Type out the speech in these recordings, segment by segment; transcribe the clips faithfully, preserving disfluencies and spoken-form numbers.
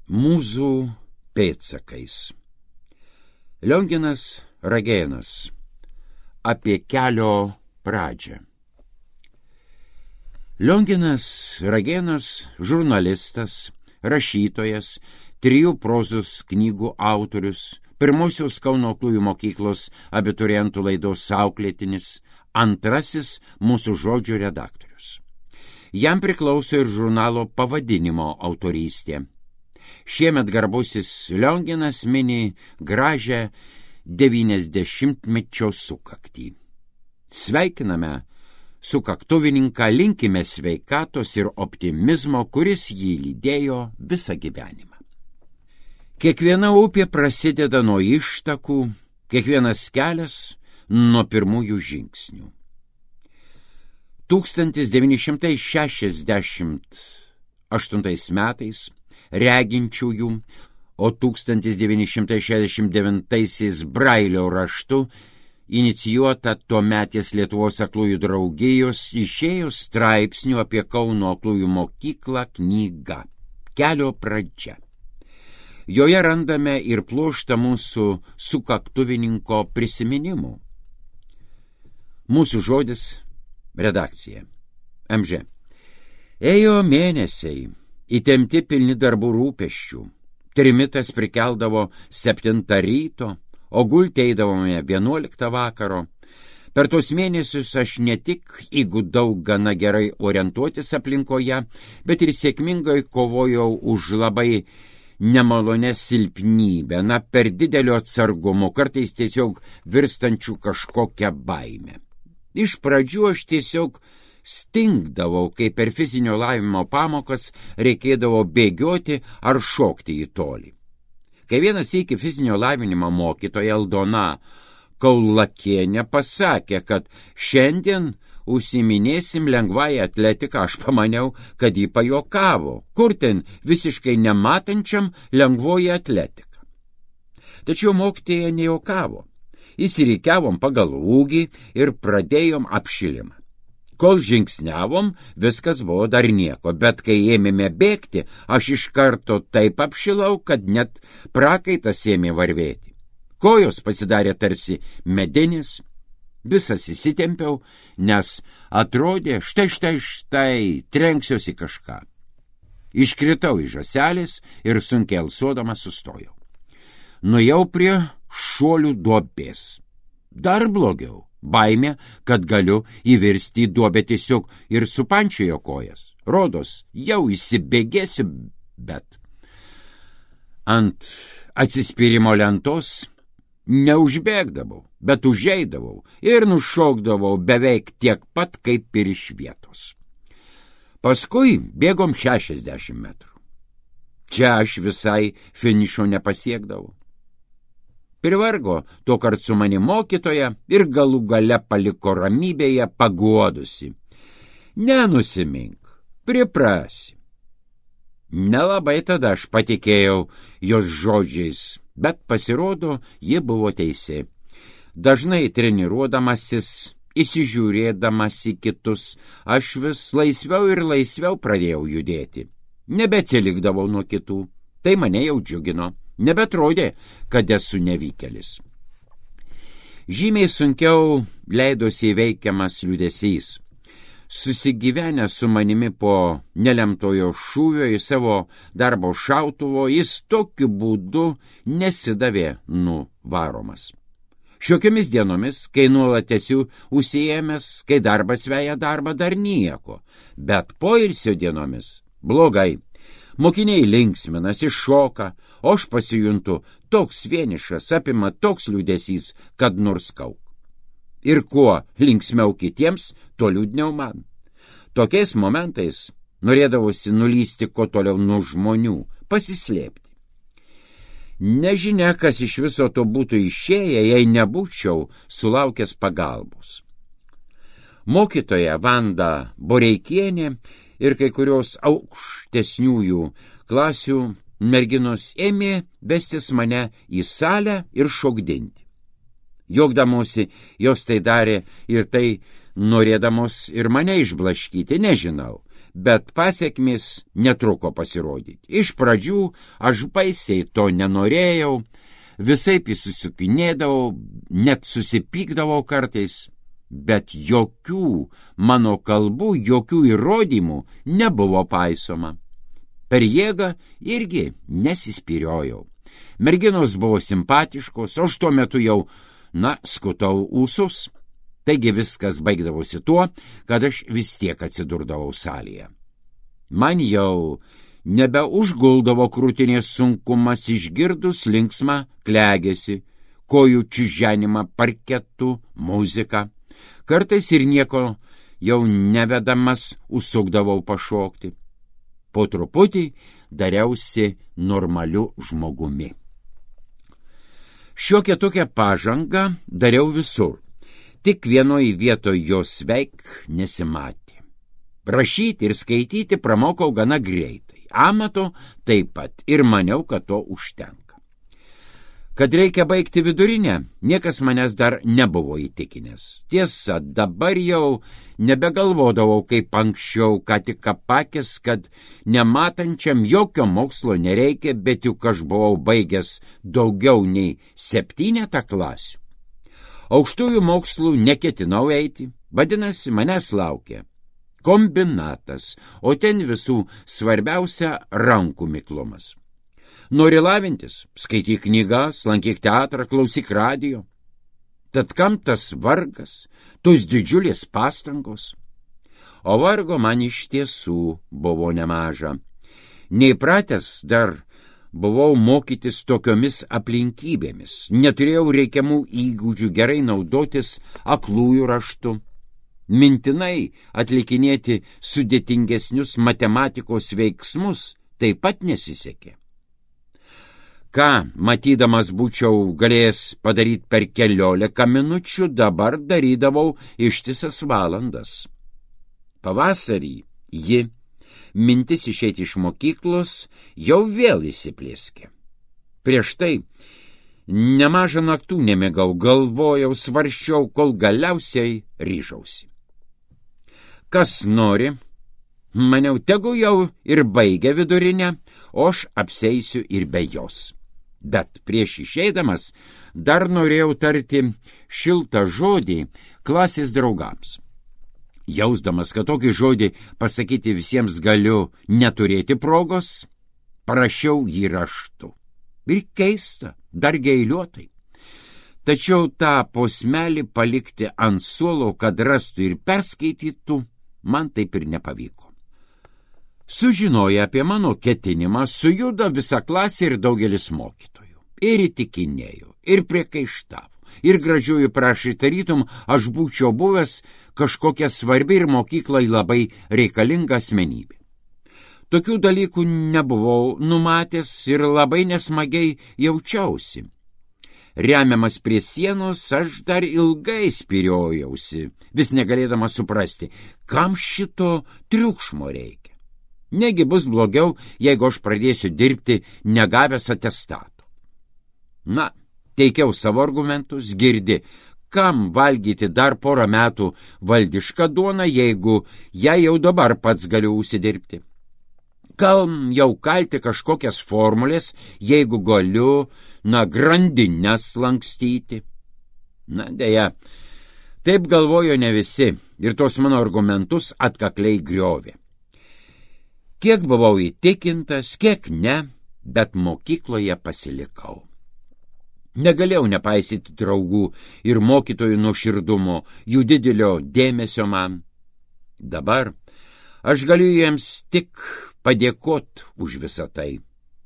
Mūzų pėdsakais. Lionginas Ragėnas. Apie kelio pradžią. Lionginas Ragėnas žurnalistas, rašytojas, trijų prozos knygų autorius, pirmosios Kauno aklųjų mokyklos abiturientų laidos auklėtinis, antrasis mūsų žodžių redaktorius. Jam priklauso ir žurnalo pavadinimo autorystė. Šiemet garbusis Lionginas mini gražią devyniasdešimtmečio sukaktį. Sveikiname sukaktuvininką, linkime sveikatos ir optimizmo, kuris jį lydėjo visą gyvenimą. Kiekviena upė prasideda nuo ištakų, kiekvienas kelias nuo pirmųjų žingsnių. tūkstantis devyni šimtai šešiasdešimt aštuntais metais reginčiųjų, o tūkstantis devyni šimtai šešiasdešimt devintaisiais Brailio raštu inicijuota tuometės Lietuvos aklųjų draugijos išėjo straipsnių apie Kauno aklųjų mokyklą knyga Kelio pradžia. Joje randame ir pluoštą mūsų sukaktuvininko prisiminimų. Mūsų žodis redakcija. M Ž. Ėjo mėnesiai, įtempti pilni darbų rūpesčių. Trimitas prikeldavo septintą ryto, o gulti eidavome vienuoliktą vakaro. Per tos mėnesius aš ne tik įgudau gana gerai orientuotis aplinkoje, bet ir sėkmingai kovojau už labai nemalonę silpnybę, na per didelio atsargumo, kartais tiesiog virstančių kažkokią baimę. Iš pradžių aš tiesiog stingdavau, kai per fizinio lavinimo pamokas reikėdavo bėgioti ar šokti į tolį. Kai vienas iki fizinio lavinimo mokytoja Aldona Kaulakienė pasakė, kad šiandien užsiminėsim lengvąją atletiką, aš pamaniau, kad jį pajokavo, kur ten visiškai nematančiam lengvoji atletika. Tačiau mokytoja nejokavo. Įsirikiavom pagal ūgį ir pradėjom apšilimą. Kol žingsniavom, viskas buvo dar nieko, bet kai ėmėme bėgti, aš iš karto taip apšilau, kad net prakaitas ėmė varvėti. Kojos pasidarė tarsi medinės, visas įsitempiau, nes atrodė, štai štai štai, trenksiuosi kažką. Iškritau iš žąselės ir sunkiai alsuodamas sustojau. Nuėjau prie šuolių duobės. Dar blogiau. Baimė, kad galiu įvirsti į duobę tiesiog ir supančiojo kojas. Rodos, jau įsibėgėsi, bet ant atsispyrimo lentos neužbėgdavau, bet užeidavau ir nušokdavau beveik tiek pat kaip ir iš vietos. Paskui bėgom šešiasdešimt metrų. Čia aš visai finišo nepasiekdavau. Privargo to kart su mani mokytoja ir galų gale paliko ramybėje paguodusi. Nenusimink, priprasi. Nelabai tada aš patikėjau jos žodžiais, bet pasirodo, ji buvo teisi. Dažnai treniruodamasis, įsižiūrėdamas į kitus, aš vis laisviau ir laisviau pradėjau judėti. Nebeatsilikdavau nuo kitų, tai mane jau džiugino. Nebetrodė, kad esu nevykėlis. Žymiai sunkiau leidosi įveikiamas liūdesys. Susigyvenęs su manimi po nelemtojo šūvio į savo darbo šautuvo, jis tokiu būdu nesidavė nuvaromas. Šiokiamis dienomis, kai nuolat esi užsiėmęs, kai darbas veja darbą, dar nieko, bet poilsio dienomis blogai. Mokiniai linksminasi, šoka, o aš pasijuntu toks vienišas, apima toks liūdesys, kad nurskauk. Ir kuo linksmiau kitiems, to liūdniau man. Tokiais momentais norėdavosi nulysti kuo toliau nuo žmonių, pasislėpti. Nežinia, kas iš viso to būtų išėję, jei nebūčiau sulaukęs pagalbos. Mokytoja Vanda Boreikienė ir kai kurios aukštesniųjų klasių merginos ėmė vestis mane į salę ir šokdinti. Juokdamosi, jos tai darė ir tai norėdamos ir mane išblaškyti, nežinau, bet pasekmės netruko pasirodyti. Iš pradžių aš baisiai to nenorėjau, visaip įsisukinėdavau, net susipykdavau kartais, bet jokių mano kalbų, jokių įrodymų nebuvo paisoma. Per jėgą irgi nesispyriojau. Merginos buvo simpatiškos, o aš tuo metu jau, na, skutau ūsus. Taigi viskas baigdavosi tuo, kad aš vis tiek atsidurdavau salėje. Man jau nebeužguldavo krūtinės sunkumas išgirdus linksmą klegėsi, kojų čiženimą parketų, muziką. Kartais ir nieko jau nevedamas užsukdavau pašokti. Po truputį dariausi normaliu žmogumi. Šiokią tokią pažangą dariau visur. Tik vienoj vietoj jos veik nesimatė. Rašyti ir skaityti pramokau gana greitai. Amato taip pat ir maniau, kad to užtenka. Kad reikia baigti vidurinę, niekas manęs dar nebuvo įtikinęs. Tiesa, dabar jau nebegalvodavau kaip anksčiau, ką tik apakęs, kad nematančiam jokio mokslo nereikia, bet juk aš buvau baigęs daugiau nei septynetą klasių. Aukštųjų mokslų neketinau eiti, vadinasi, manęs laukia kombinatas, o ten visų svarbiausia rankų miklumas. Nori lavintis, skaityk knygas, lankyk teatrą, klausyk radijo. Tad kam tas vargas, tos didžiulės pastangos? O vargo man iš tiesų buvo nemaža. Neįpratęs dar buvau mokytis tokiomis aplinkybėmis, neturėjau reikiamų įgūdžių gerai naudotis aklųjų raštu, mintinai atlikinėti sudėtingesnius matematikos veiksmus taip pat nesisekė. Ką, matydamas būčiau galėjęs padaryti per keliolika minučių, dabar darydavau ištisas valandas. Pavasarį ji, mintis išeiti iš mokyklos, jau vėl įsiplėskė. Prieš tai nemažą naktų nemėgau, galvojau, svarsčiau, kol galiausiai ryžausi. Kas nori, maniau, tegu jau ir baigia vidurinę, o aš apseisiu ir be jos. Bet prieš išeidamas dar norėjau tarti šiltą žodį klasės draugams. Jausdamas, kad tokį žodį pasakyti visiems galiu neturėti progos, parašiau jį raštu. Ir keista, dar geiliuotai. Tačiau tą posmelį palikti ant suolo, kad rastų ir perskaitytų, man taip ir nepavyko. Sužinoję apie mano ketinimą, sujudo visa klasė ir daugelis mokytojų. Ir įtikinėjo, ir priekaištavo, ir gražiųjų prašė, tarytum aš būčiau buvęs kažkokia svarbi ir mokyklai labai reikalinga asmenybė. Tokių dalykų nebuvau numatęs ir labai nesmagiai jaučiausi. Remiamas prie sienos, aš dar ilgai spyriojausi, vis negalėdamas suprasti, kam šito triukšmo reikia. Negi bus blogiau, jeigu aš pradėsiu dirbti negavęs atestato. Na, teikiau savo argumentus, girdi, kam valgyti dar porą metų valdišką duoną, jeigu ją jau dabar pats galiu užsidirbti. Kam jau kalti kažkokias formulės, jeigu galiu, na, grandines lankstyti. Na, deja, taip galvojo ne visi ir tos mano argumentus atkakliai griovė. Kiek buvau įtikintas, kiek ne, bet mokykloje pasilikau. Negalėjau nepaisyti draugų ir mokytojų nuoširdumo, jų didelio dėmesio man. Dabar aš galiu jiems tik padėkot už visą tai.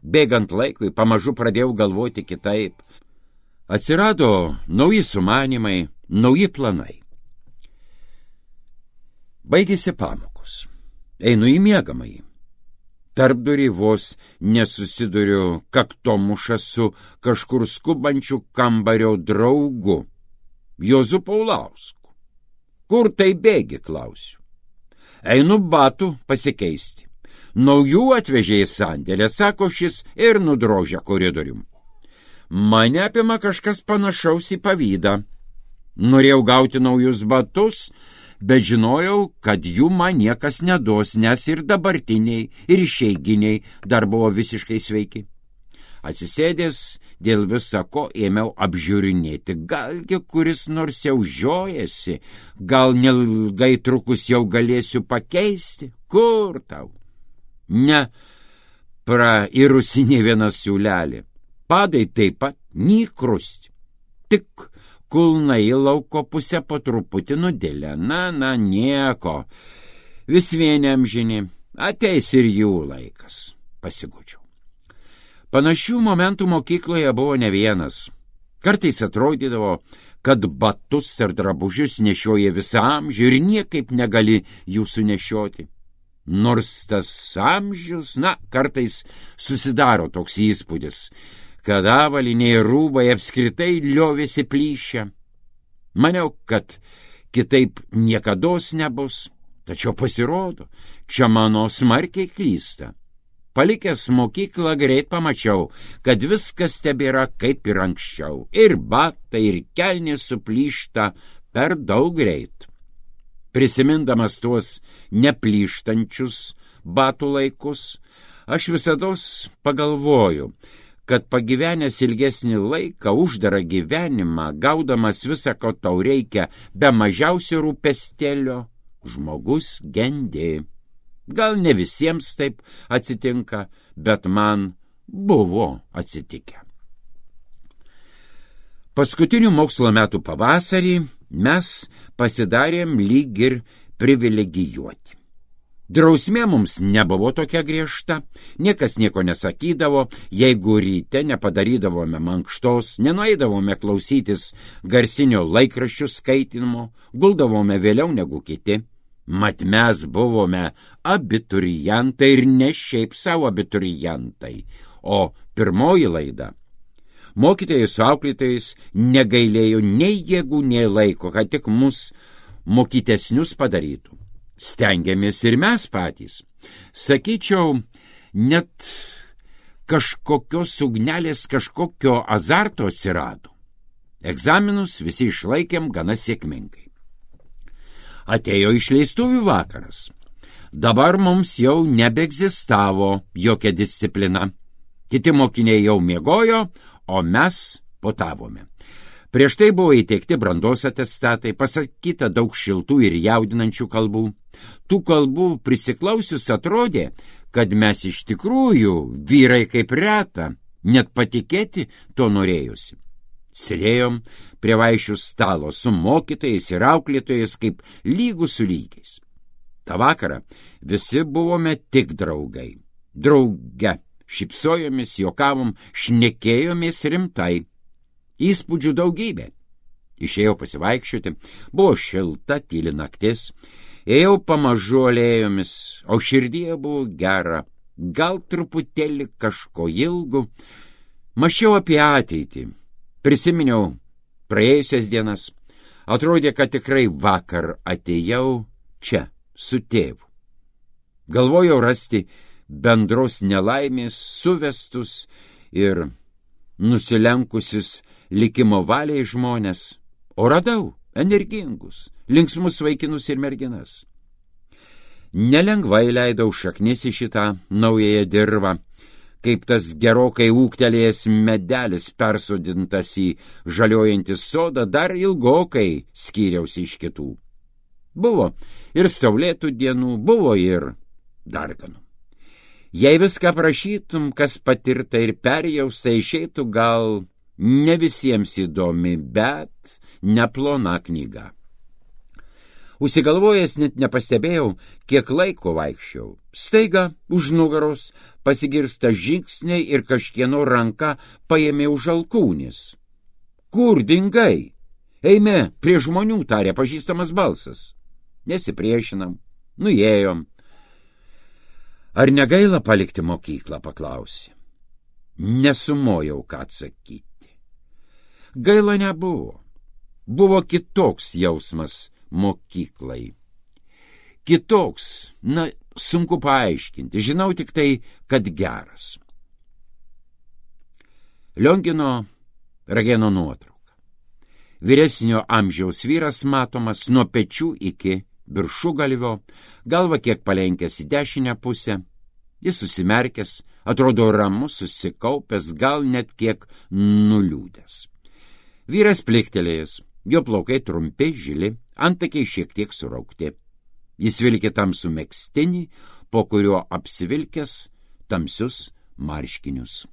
Bėgant laikui, pamažu pradėjau galvoti kitaip. Atsirado nauji sumanymai, nauji planai. Baigėsi pamokos. Einu į miegamąjį. Tarpdurį vos nesusiduriu kaktomušą su kažkur skubančiu kambario draugu, Juozu Paulausku. Kur tai bėgi, klausiu. Einu batų pasikeisti. Naujų atvežė į sandėlę, sako šis ir nudrožia koridorium. Mane apima kažkas panašaus į pavydą. Norėjau gauti naujus batus, bet žinojau, kad jų man niekas neduos, nes ir dabartiniai, ir išeiginiai dar buvo visiškai sveiki. Atsisėdęs dėl visako ėmiau apžiūrinėti, galgi kuris nors jau žiojasi, gal nelgai trukus jau galėsiu pakeisti, kur tau? Ne prairusi nė vienas siūlelį, padai taip pat nykrust, tik kulnai į lauko pusę po truputį nudėlė, na, na, nieko, vis vieni amžini, ateis ir jų laikas, pasigučiau. Panašių momentų mokykloje buvo ne vienas. Kartais atrodydavo, kad batus ar drabužius nešioja visą amžių ir niekaip negali jų sunešioti. Nors tas amžius, na, kartais susidaro toks įspūdis, kad avaliniai rūbai apskritai liovėsi plyšę. Maniau, kad kitaip niekados nebus, tačiau pasirodo, čia mano smarkiai klysta. Palikęs mokyklą greit pamačiau, kad viskas tebėra kaip ir anksčiau, ir batai, ir kelnės suplyšta per daug greit. Prisimindamas tuos neplyštančius batų laikus, aš visados pagalvoju, kad pagyvenęs ilgesnį laiką, uždarą gyvenimą, gaudamas visą, ko tau reikia, be mažiausio rūpestelio, žmogus gendi. Gal ne visiems taip atsitinka, bet man buvo atsitikę. Paskutinių mokslo metų pavasarį mes pasidarėm lyg ir privilegijuoti. Drausmė mums nebuvo tokia griežta, niekas nieko nesakydavo, jeigu ryte nepadarydavome mankštos, nenueidavome klausytis garsinio laikraščių skaitinimo, guldavome vėliau negu kiti. Mat mes buvome abiturientai ir ne šiaip savo abiturientai, o pirmoji laida. Mokytojai su auklėtojais negailėjo nei jėgų, nei laiko, kad tik mus mokytesnius padarytų. Stengiamės ir mes patys. Sakyčiau, net kažkokios ugnelės, kažkokio azarto atsirado. Egzaminus visi išlaikėm gana sėkmingai. Atėjo išleistuvių vakaras. Dabar mums jau nebeegzistavo jokia disciplina. Kiti mokiniai jau miegojo, o mes potavome. Prieš tai buvo įteikti brandos atestatai, pasakyta daug šiltų ir jaudinančių kalbų. Tų kalbų prisiklausius atrodė, kad mes iš tikrųjų vyrai kaip reta, net patikėti to norėjusi. Sėdėjom prie vaišių stalo su mokytojais ir auklėtojais kaip lygų su lygiais. Ta vakarą visi buvome tik draugai. Drauge šypsojomės, juokavom, šnekėjomės rimtai. Įspūdžių daugybė. Išėjau pasivaikščioti, buvo šilta, tyli naktis. Ėjau pamažu alėjomis, o širdyje buvo gera, gal truputėlį kažko ilgų. Mąsčiau apie ateitį. Prisiminiau praėjusias dienas. Atrodė, kad tikrai vakar atėjau čia, su tėvu. Galvojau rasti bendros nelaimės, suvestus ir nusilenkusius likimo valiai žmonės, o radau energingus, linksmus vaikinus ir merginas. Nelengvai leidau šaknis į šitą naująją dirvą, kaip tas gerokai ūgtelėjęs medelis persodintas į žaliojantį sodą, dar ilgokai skyriausi iš kitų. Buvo ir saulėtų dienų, buvo ir darganų. Jei viską prašytum, kas patirta ir perjausta, išeitų gal ne visiems įdomi, bet neplona knyga. Užsigalvojęs net nepastebėjau, kiek laiko vaikščiau. Staiga už nugaros pasigirsta žingsniai ir kažkieno ranka paėmė už alkūnės. Kur dingai? Eime, prie žmonių, tarė pažįstamas balsas. Nesipriešinam, nuėjom. Ar negaila palikti mokyklą, paklausė. Nesumojau, ką atsakyti. Gaila nebuvo. Buvo kitoks jausmas mokyklai. Kitoks, na, sunku paaiškinti, žinau tik tai, kad geras. Liongino Ragėno nuotrauka. Vyresnio amžiaus vyras matomas nuo pečių iki viršugalvio, galva kiek palenkęs į dešinę pusę. Jis susimerkęs, atrodo ramus, susikaupęs, gal net kiek nuliūdęs. Vyras pliktelėjęs, jo plaukai trumpi, žili, antakiai šiek tiek suraukti. Jis vilkė tamsų megztinį, po kurio apsivilkęs tamsius marškinius.